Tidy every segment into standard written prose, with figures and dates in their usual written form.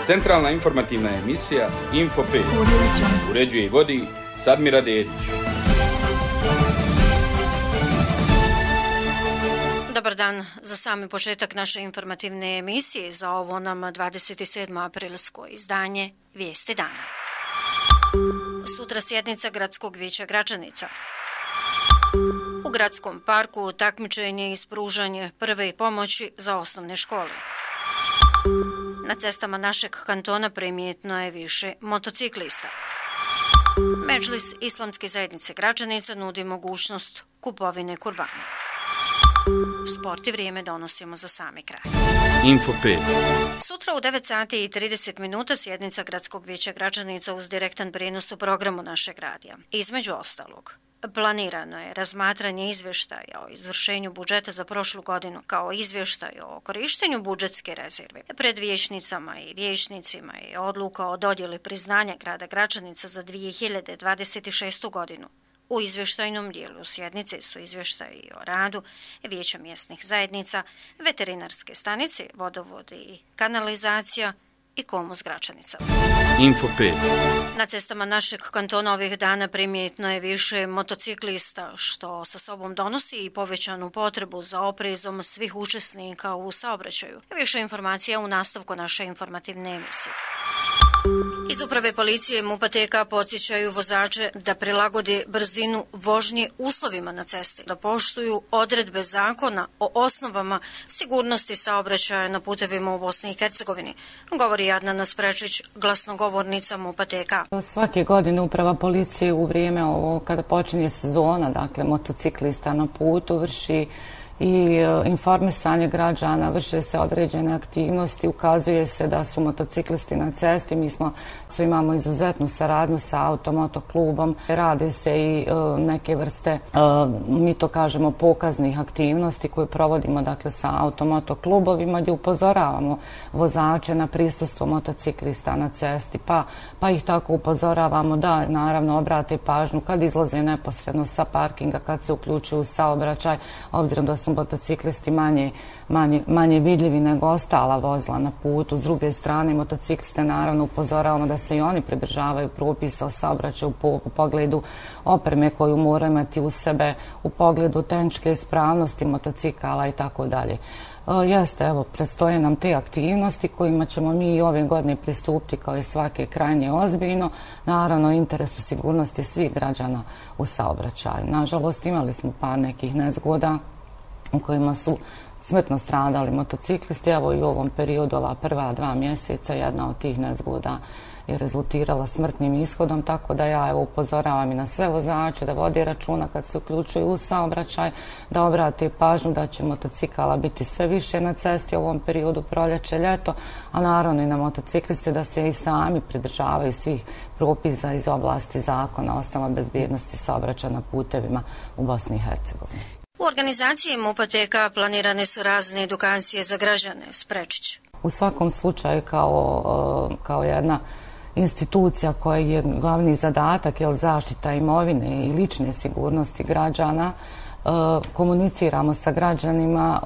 Centralna informativna emisija Info 5. Uređuje i vodi Sadmira Dedić. Dobar dan. Za sami početak naše informativne emisije za ovo nam 27. aprilsko izdanje Vijesti dana. Sutra sjednica Gradskog vijeća Gračanica. U Gradskom parku takmičenje i ispružanje prve pomoći za osnovne škole. Na cestama našeg kantona primjetno je više motociklista. Medžlis Islamske zajednice Gračanica nudi mogućnost kupovine kurbana. Sport i vrijeme donosimo za sami kraj. Info 5. Sutra u 9 sati i 30 minuta sjednica Gradskog vijeća Gračanica uz direktan prijenos u programu našeg radija. Između ostalog, planirano je razmatranje izvještaja o izvršenju budžeta za prošlu godinu kao izvještaj o korištenju budžetske rezerve pred vijećnicama i vijećnicima i odluka o dodjeli priznanja grada Gračanica za 2026. godinu. U izvještajnom dijelu sjednice su izvještaji o radu vijeća mjesnih zajednica, veterinarske stanice, vodovod i kanalizacija i Komus Gračanica. Info 5. Na cestama našeg kantona ovih dana primjetno je više motociklista, što sa sobom donosi i povećanu potrebu za oprezom svih učesnika u saobraćaju. Više informacija u nastavku naše informativne emisije. Iz uprave policije MUP-a TK podsjećaju vozače da prilagode brzinu vožnje uslovima na cesti, da poštuju odredbe zakona o osnovama sigurnosti saobraćaja na putevima u Bosni i Hercegovini, govori Adnana Sprečić, glasnogovornica MUP-a TK. Svake godine uprava policije u vrijeme ovo kada počinje sezona, dakle motociklista na putu, vrši i informisanje građana, vrše se određene aktivnosti, ukazuje se da su motociklisti na cesti. Mi imamo izuzetnu saradnju sa automotoklubom, rade se i neke vrste, mi to kažemo, pokaznih aktivnosti koje provodimo dakle sa automotoklubovima gdje upozoravamo vozače na prisustvo motociklista na cesti, pa ih tako upozoravamo da naravno obrate pažnju kad izlaze neposredno sa parkinga, kad se uključuju u saobraćaj, obzirom da su motociklisti manje vidljivi nego ostala vozila na putu. S druge strane, motocikliste naravno upozoravamo da se i oni pridržavaju propisa o saobraćaju u pogledu opreme koju moraju imati u sebe, u pogledu tehničke ispravnosti motocikala i tako dalje. Jeste, evo, predstoje nam te aktivnosti kojima ćemo mi i ove godine pristupiti kao i svake krajnje ozbiljno, naravno interesu sigurnosti svih građana u saobraćaju. Nažalost, imali smo par nekih nezgoda u kojima su smrtno stradali motociklisti. Evo i u ovom periodu, ova prva 2 mjeseca, jedna od tih nezgoda je rezultirala smrtnim ishodom, tako da ja upozoravam i na sve vozače da vode računa kad se uključuju u saobraćaj, da obrate pažnju da će motocikala biti sve više na cesti u ovom periodu proljeće, ljeto, a naravno i na motocikliste da se i sami pridržavaju svih propisa iz oblasti zakona o osnovama bezbjednosti saobraćaja na putevima u Bosni i Hercegovini. U organizaciji MUP-a TK planirane su razne edukacije za građane. Sprečić. U svakom slučaju kao jedna institucija koja je glavni zadatak zaštita imovine i lične sigurnosti građana, komuniciramo sa građanima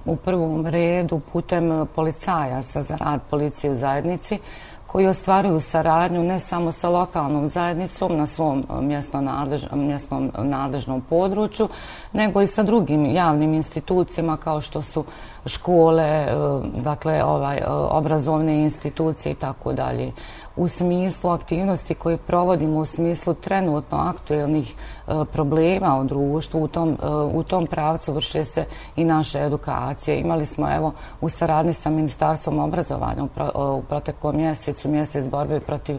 u prvom redu putem policajaca za rad policije u zajednici, koji ostvaruju saradnju ne samo sa lokalnom zajednicom na svom mjesnom nadležnom području, nego i sa drugim javnim institucijama kao što su škole, dakle obrazovne institucije i tako dalje. U smislu aktivnosti koje provodimo, u smislu trenutno aktuelnih problema u društvu, u tom pravcu vrše se i naše edukacije. Imali smo u saradnji sa Ministarstvom obrazovanja u proteklom mjesecu, mjesec borbe protiv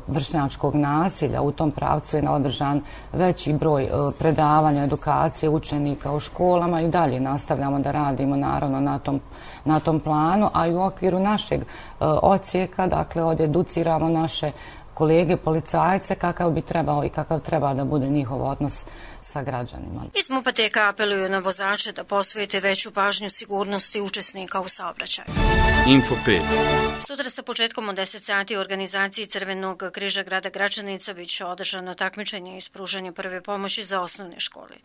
vršnjačkog nasilja. U tom pravcu je održan veći broj predavanja, edukacije učenika u školama i dalje nastavljamo da radimo naravno na tom planu, a i u okviru našeg odsjeka, dakle, educiramo naše kolege policajce kakav bi trebao i kakav treba da bude njihov odnos sa građanima. Iz MUP-a TK apeluju na vozače da posvete veću pažnju sigurnosti učesnika u saobraćaju. Info 5. Sutra sa početkom od 10 sati u organizaciji Crvenog križa grada Gračanica bit će održano takmičenje i ispružanje prve pomoći za osnovne škole.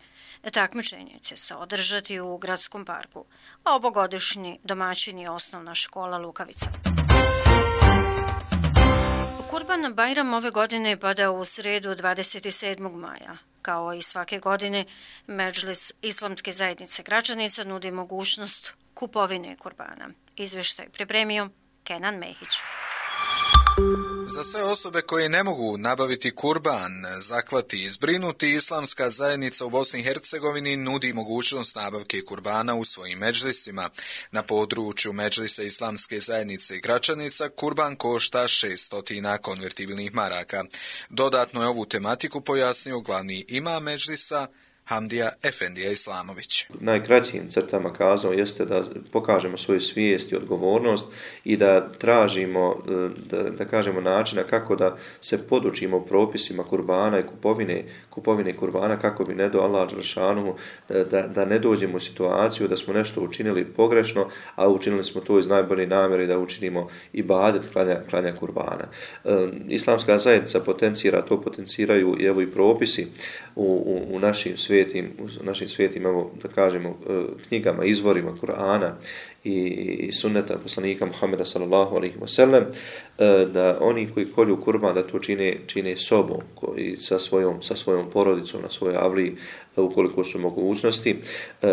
Takmičenje će se održati u Gradskom parku, a ovogodišnji domaćin je osnovna škola Lukavica. Kurban Bajram ove godine pada u srijedu 27. maja. Kao i svake godine, Medžlis Islamske zajednice Gračanica nudi mogućnost kupovine kurbana. Izvještaj pripremio Kenan Mehić. Za sve osobe koje ne mogu nabaviti kurban, zaklati i zbrinuti, Islamska zajednica u Bosni i Hercegovini nudi mogućnost nabavke kurbana u svojim medžlisima. Na području Medžlisa Islamske zajednice Gračanica kurban košta 600 konvertibilnih maraka. Dodatno je ovu tematiku pojasnio glavni imam Medžlisa Hamdija Efendija Islamović. Najkraćim crtama kazao jeste da pokažemo svoju svijest i odgovornost i da tražimo, da kažemo načina kako da se podučimo propisima kurbana i kupovine kurbana kako bi ne do Allah dželešanu da ne dođemo u situaciju da smo nešto učinili pogrešno, a učinili smo to iz najbolje namjere da učinimo ibadet klanja kurbana. Islamska zajednica potenciraju i evo i propisi u našim svetim, evo, da kažemo, knjigama, izvorima Kur'ana i sunneta poslanika Muhameda sallallahu alejhi ve sellem, da oni koji kolju kurban da to čine sobom i sa svojom porodicom na svojoj avliji ukoliko su mogućnosti.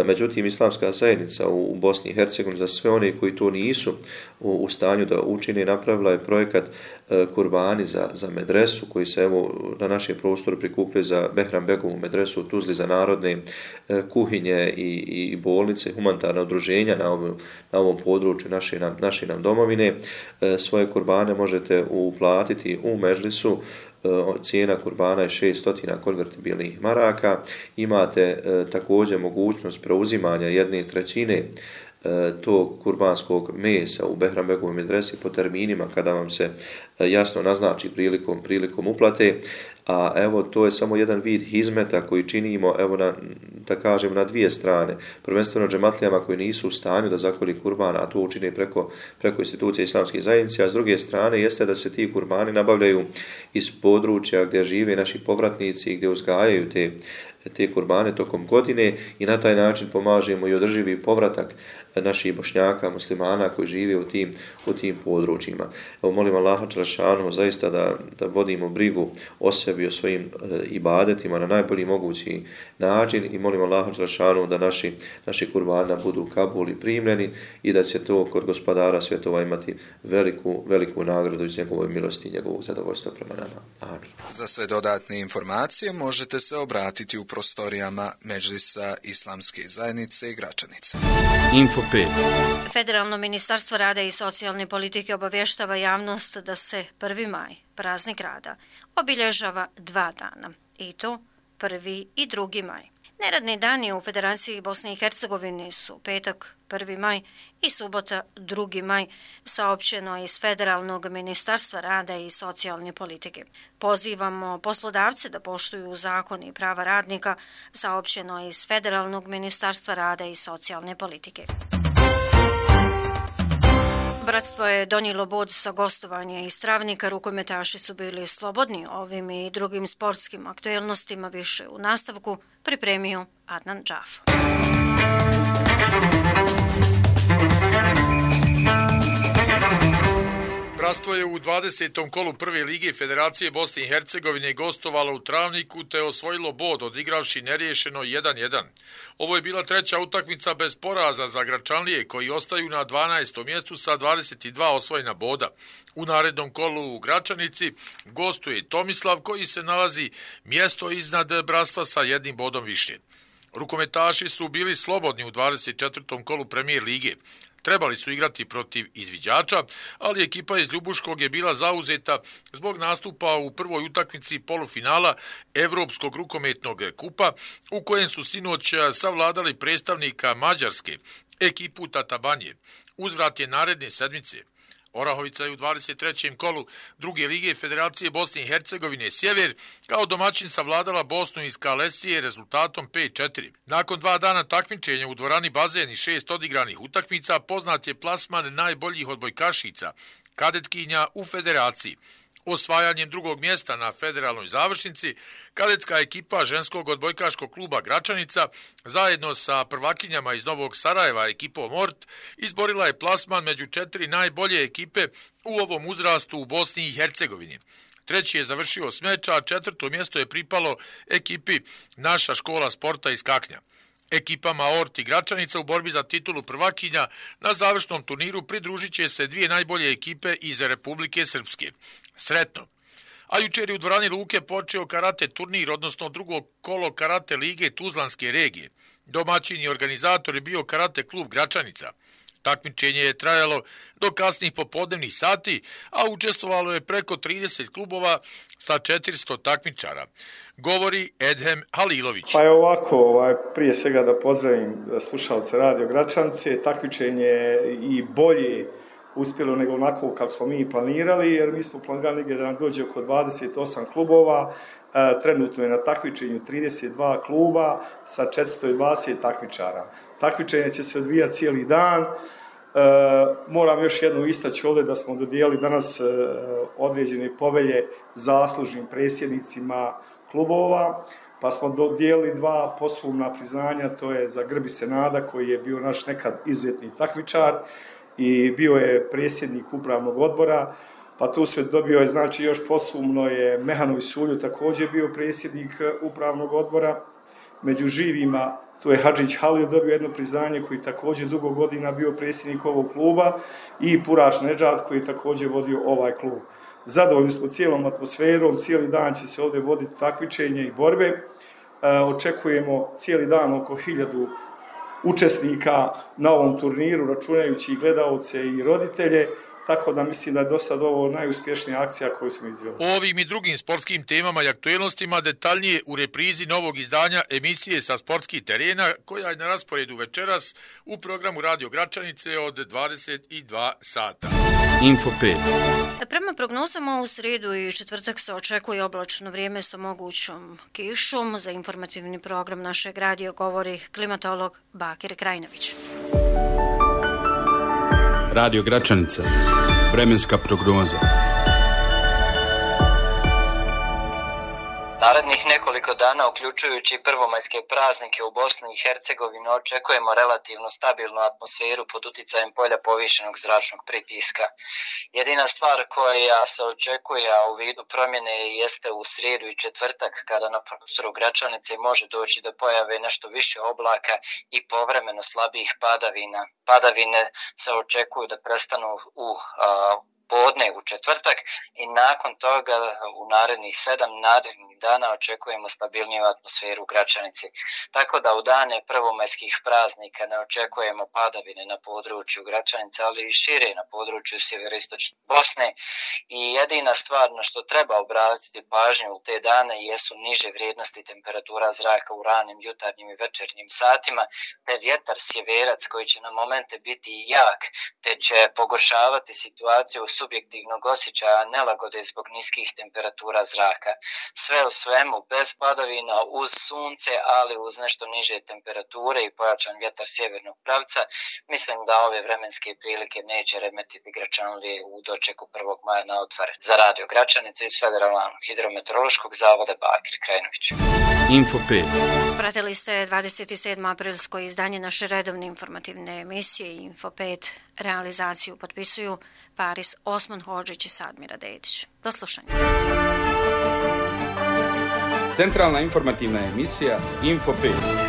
Međutim, Islamska zajednica u Bosni i Hercegovini za sve one koji to nisu u stanju da učine napravila je projekat kurbani za medresu koji se evo na našem prostoru prikupljaju za Behram Begovu medresu u Tuzli za narodne kuhinje i bolnice, humanitarna udruženja na ovom području naše nam domovine. Svoje kurbane možete uplatiti u Medžlisu. Cijena kurbana je 600 konvertibilnih maraka. Imate također mogućnost preuzimanja 1/3 tog kurbanskog mesa u Behram Begovoj medresi po terminima kada vam se jasno naznači prilikom uplate. A evo to je samo jedan vid hizmeta koji činimo evo na dvije strane. Prvenstveno džematlijama koji nisu u stanju da zakolju kurbana, a to učine preko institucije Islamske zajednice, a s druge strane jeste da se ti kurbani nabavljaju iz područja gdje žive naši povratnici i gdje uzgajaju te kurbane tokom godine i na taj način pomažemo i održivi povratak naših Bošnjaka, muslimana koji žive u tim područjima. Evo molim Allaha dželešanu zaista da vodimo brigu o sebi, o svojim ibadetima na najbolji mogući način i molim Allaha dželešanu da naši kurbana budu Kabul i primljeni i da će to kod gospodara svjetova imati veliku nagradu iz njegove milosti i njegovog zadovoljstva prema nama. Amin. Za sve dodatne informacije možete se obratiti u prostorijama Medžlisa Islamske zajednice Gračanica. Info 5. Federalno ministarstvo rada i socijalne politike obavještava javnost da se 1. maj, praznik rada, obilježava 2 dana, i to 1. i 2. maj. Neradni dani u Federaciji Bosne i Hercegovine su petak 1. maj i subota 2. maj, saopćeno iz Federalnog ministarstva rada i socijalne politike. Pozivamo poslodavce da poštuju zakon i prava radnika, saopćeno iz Federalnog ministarstva rada i socijalne politike. Bratstvo je donijelo bod sa gostovanja iz Travnika. Rukometaši su bili slobodni ovim i drugim sportskim aktuelnostima. Više u nastavku pripremio Adnan Džafo. Bratstvo je u 20. kolu prve lige Federacije Bosne i Hercegovine gostovalo u Travniku te osvojilo bod odigravši neriješeno 1-1. Ovo je bila treća utakmica bez poraza za Gračanlije koji ostaju na 12. mjestu sa 22 osvojena boda. U narednom kolu u Gračanici gostuje Tomislav koji se nalazi mjesto iznad Bratstva sa 1 bodom više. Rukometaši su bili slobodni u 24. kolu premijer lige. Trebali su igrati protiv izviđača, ali ekipa iz Ljubuškog je bila zauzeta zbog nastupa u prvoj utakmici polufinala Evropskog rukometnog kupa, u kojem su sinoć savladali predstavnika Mađarske, ekipu Tatabanje. Uzvrat je naredne sedmice. Orahovica je u 23. kolu druge lige Federacije Bosne i Hercegovine Sjever kao domaćin savladala Bosnu iz Kalesije rezultatom 5-4. Nakon 2 dana takmičenja u dvorani Bazen i 6 odigranih utakmica poznat je plasman najboljih odbojkašica, kadetkinja u Federaciji. Osvajanjem drugog mjesta na federalnoj završnici, kadetska ekipa ženskog odbojkaškog kluba Gračanica zajedno sa prvakinjama iz Novog Sarajeva ekipom Ort izborila je plasman među 4 najbolje ekipe u ovom uzrastu u Bosni i Hercegovini. Treći je završio Smeća, a 4. mjesto je pripalo ekipi Naša škola sporta iz Kaknja. Ekipama Ort i Gračanica u borbi za titulu prvakinja na završnom turniru pridružit će se 2 najbolje ekipe iz Republike Srpske. Sretno! A jučer je u dvorani Luke počeo karate turnir, odnosno drugo kolo karate lige Tuzlanske regije. Domaćin i organizator je bio karate klub Gračanica. Takmičenje je trajalo do kasnih popodnevnih sati, a učestvovalo je preko 30 klubova sa 400 takmičara. Govori Edhem Halilović. Pa je ovako, prije svega da pozdravim slušalce Radio Gračanice. Takmičenje je i bolje uspjelo nego onako kako smo mi planirali, jer mi smo planirali negdje da nam dođe oko 28 klubova. Trenutno je na takmičenju 32 kluba sa 420 takmičara. Takmičenje će se odvijati cijeli dan. Moram još jednu istaći ovdje da smo dodijelili danas određene povelje zaslužnim predsjednicima klubova, pa smo dodijelili 2 posthumna priznanja, to je za Grbi Senada koji je bio naš nekad izuzetni takmičar i bio je predsjednik upravnog odbora, pa tu sve dobio je, znači još posthumno je Mehanović Sulju također bio predsjednik upravnog odbora. Među živima tu je Hadžić Halil dobio jedno priznanje koji također dugo godina bio predsjednik ovog kluba i Puraš Nedžad koji je također vodio ovaj klub. Zadovoljni smo cijelom atmosferom, cijeli dan će se ovdje voditi takmičenje i borbe. Očekujemo cijeli dan oko 1000 učesnika na ovom turniru, računajući i gledaoce i roditelje. Tako da mislim da je do sad ovo najuspješnija akcija koju smo izveli. O ovim i drugim sportskim temama i aktuelnostima detaljnije u reprizi novog izdanja emisije sa sportskih terena koja je na rasporedu večeras u programu Radio Gračanice od 22 sata. Info 5. Prema prognozama u srijedu i četvrtak se očekuje oblačno vrijeme sa mogućom kišom. Za informativni program našeg radija govori klimatolog Bakir Krajnović. Radio Gračanica. Vremenska prognoza. Narednih nekoliko dana, uključujući i prvomajske praznike u Bosni i Hercegovini, očekujemo relativno stabilnu atmosferu pod uticajem polja povišenog zračnog pritiska. Jedina stvar koja se očekuje u vidu promjene jeste u srijedu i četvrtak, kada na prostoru Gračanice može doći do pojave nešto više oblaka i povremeno slabijih padavina. Padavine se očekuju da prestanu u podne u četvrtak i nakon toga u narednih 7 narednih dana očekujemo stabilniju atmosferu u Gračanici. Tako da u dane prvomajskih praznika ne očekujemo padavine na području Gračanice, ali i šire na području sjeveroistočne Bosne. I jedina stvar na što treba obratiti pažnju u te dane jesu niže vrijednosti temperatura zraka u ranim jutarnjim i večernjim satima, te vjetar sjeverac koji će na momente biti jak, te će pogoršavati situaciju subjektivnog osjećaja nelagode zbog niskih temperatura zraka. Sve u svemu, bez padavina, uz sunce, ali uz nešto niže temperature i pojačan vjetar sjevernog pravca, mislim da ove vremenske prilike neće remetiti Gračanlije u dočeku 1. maja na otvore. Za Radio Gračanicu iz Federalnog hidrometeorološkog zavoda Bakir Krajnović. Info 5. Pratili ste 27. aprilsko izdanje naše redovne informativne emisije Info 5. Realizaciju potpisuju Paris Osman Hodžić i Sadmira Dedić. Do slušanja. Centralna informativna emisija Info 5.